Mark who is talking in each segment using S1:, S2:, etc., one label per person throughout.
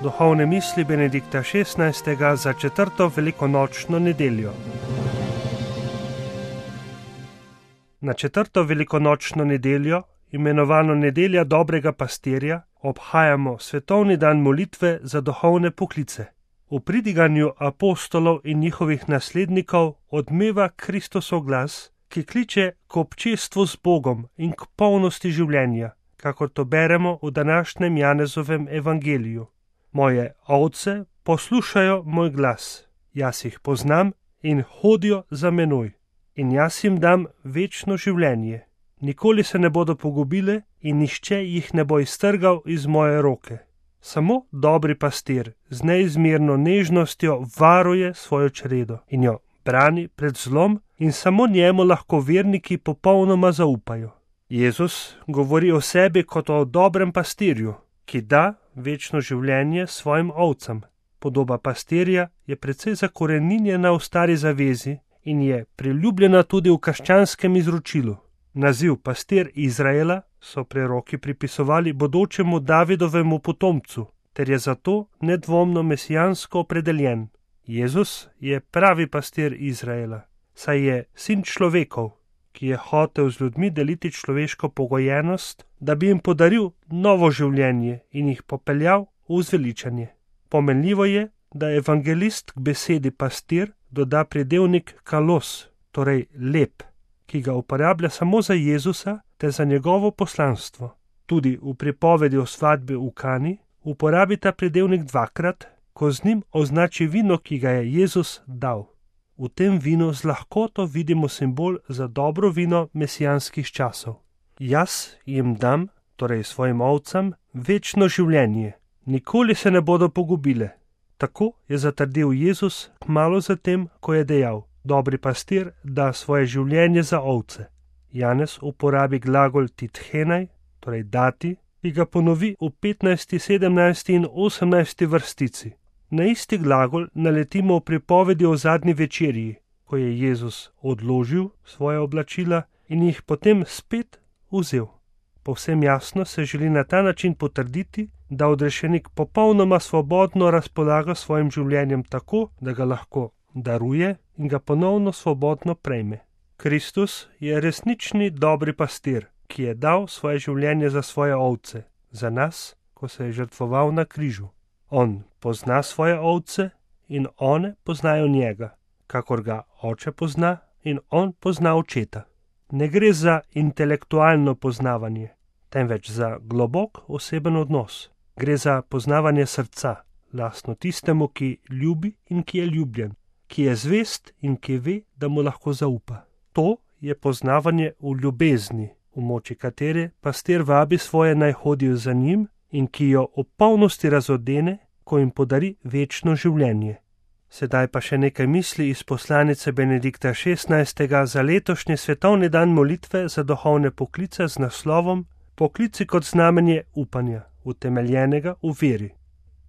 S1: Duhovne misli Benedikta XVI. Za četrto velikonočno nedeljo. Na četrto velikonočno nedeljo, imenovano Nedelja dobrega pastirja, obhajamo svetovni dan molitve za duhovne poklice. V pridiganju apostolov in njihovih naslednikov odmeva Kristusov glas, ki kliče k občestvu z Bogom in k polnosti življenja, kakor to beremo v današnjem Janezovem evangeliju. Moje ovce poslušajo moj glas, jaz jih poznam in hodijo za menoj. In jaz jim dam večno življenje. Nikoli se ne bodo pogubile in nihče jih ne bo iztrgal iz moje roke. Samo dobri pastir z neizmerno nežnostjo varuje svojo čredo in jo brani pred zlom in samo njemu lahko verniki popolnoma zaupajo. Jezus govori o sebi kot o dobrem pastirju, ki da večno življenje svojim ovcam. Podoba pastirja je precej zakoreninjena v stari zavezi in je priljubljena tudi v krščanskem izročilu. Naziv pastir Izraela so preroki pripisovali bodočemu Davidovemu potomcu, ter je zato nedvomno mesijansko opredeljen. Jezus je pravi pastir Izraela, saj je sin človekov, ki je hotel z ljudmi deliti človeško pogojenost, da bi jim podaril novo življenje in jih popeljal v zveličanje. Pomenljivo je, da evangelist k besedi pastir doda pridevnik kalos, torej lep, ki ga uporablja samo za Jezusa ter za njegovo poslanstvo. Tudi v pripovedi o svadbi v Kani uporabi ta pridevnik dvakrat, ko z njim označi vino, ki ga je Jezus dal. V tem vinu z lahkoto vidimo simbol za dobro vino mesijanskih časov. Jaz jim dam, torej svojim ovcam, večno življenje. Nikoli se ne bodo pogubile. Tako je zatrdil Jezus kmalu zatem, ko je dejal: dobri pastir da svoje življenje za ovce. Janez uporabi glagol tithenaj, torej dati, ki ga ponovi v 15., 17. in 18. vrstici. Na isti glagol naletimo v pripovedi o zadnji večerji, ko je Jezus odložil svoje oblačila in jih potem spet vzel. Povsem jasno se želi na ta način potrditi, da odrešenik popolnoma svobodno razpolaga svojim življenjem tako, da ga lahko daruje in ga ponovno svobodno prejme. Kristus je resnični dobri pastir, ki je dal svoje življenje za svoje ovce, za nas, ko se je žrtvoval na križu. On pozna svoje ovce in one poznajo njega, kakor ga oče pozna in on pozna očeta. Ne gre za intelektualno poznavanje, temveč za globok oseben odnos. Gre za poznavanje srca, lastno tistemu, ki ljubi in ki je ljubljen, ki je zvest in ki ve, da mu lahko zaupa. To je poznavanje v ljubezni, v moči katere pastir vabi svoje naj hodijo za njim in ki jo v polnosti razodene, ko jim podari večno življenje. Sedaj pa še nekaj misli iz poslanice Benedikta XVI. Za letošnji svetovni dan molitve za duhovne poklice z naslovom Poklici kot znamenje upanja, utemeljenega v veri.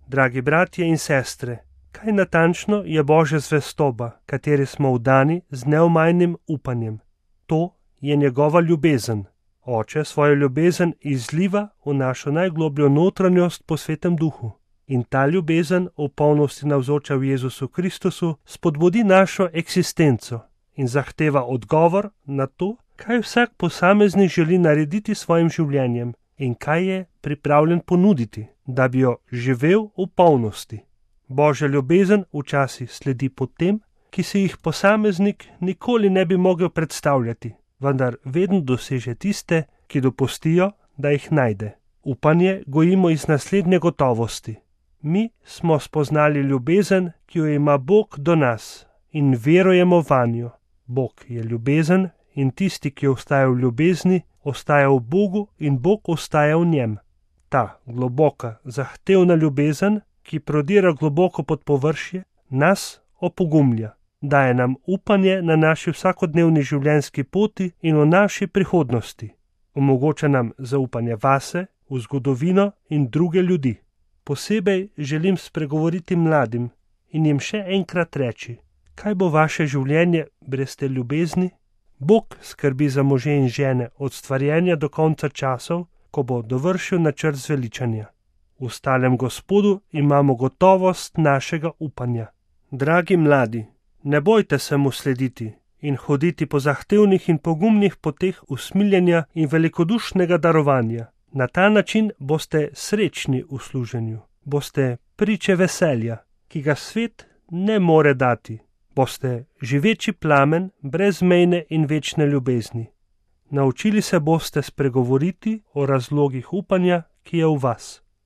S1: Dragi bratje in sestre, kaj natančno je Božja zvestoba, kateri smo vdani z neomajnim upanjem? To je njegova ljubezen. Oče svojo ljubezen izliva v našo najglobljo notranjost po Svetem Duhu. In ta ljubezen v polnosti navzoča v Jezusu Kristusu spodbudi našo eksistenco in zahteva odgovor na to, kaj vsak posameznik želi narediti s svojim življenjem in kaj je pripravljen ponuditi, da bi jo živel v polnosti. Božja ljubezen včasih sledi potem, ki si jih posameznik nikoli ne bi mogel predstavljati, vendar vedno doseže tiste, ki dopustijo, da jih najde. Upanje gojimo iz naslednje gotovosti. Mi smo spoznali ljubezen, ki jo ima Bog do nas in verujemo vanjo. Bog je ljubezen in tisti, ki ostaja v ljubezni, ostaja v Bogu in Bog ostaja v njem. Ta globoka, zahtevna ljubezen, ki prodira globoko pod površje, nas opogumlja, daje nam upanje na naši vsakodnevni življenjski poti in v naši prihodnosti. Omogoča nam zaupanje vase, v zgodovino in druge ljudi. Posebej želim spregovoriti mladim in jim še enkrat reči, kaj bo vaše življenje brez te ljubezni? Bog skrbi za može in žene od stvarjenja do konca časov, ko bo dovršil načrt zveličanja. V stalem Gospodu imamo gotovost našega upanja. Dragi mladi, ne bojte se mu slediti in hoditi po zahtevnih in pogumnih poteh usmiljenja in velikodušnega darovanja. Na ta način boste srečni v služenju, boste priče veselja, ki ga svet ne more dati, boste živeči plamen brezmejne in večne ljubezni. Naučili se boste spregovoriti o razlogih upanja, ki je v vas.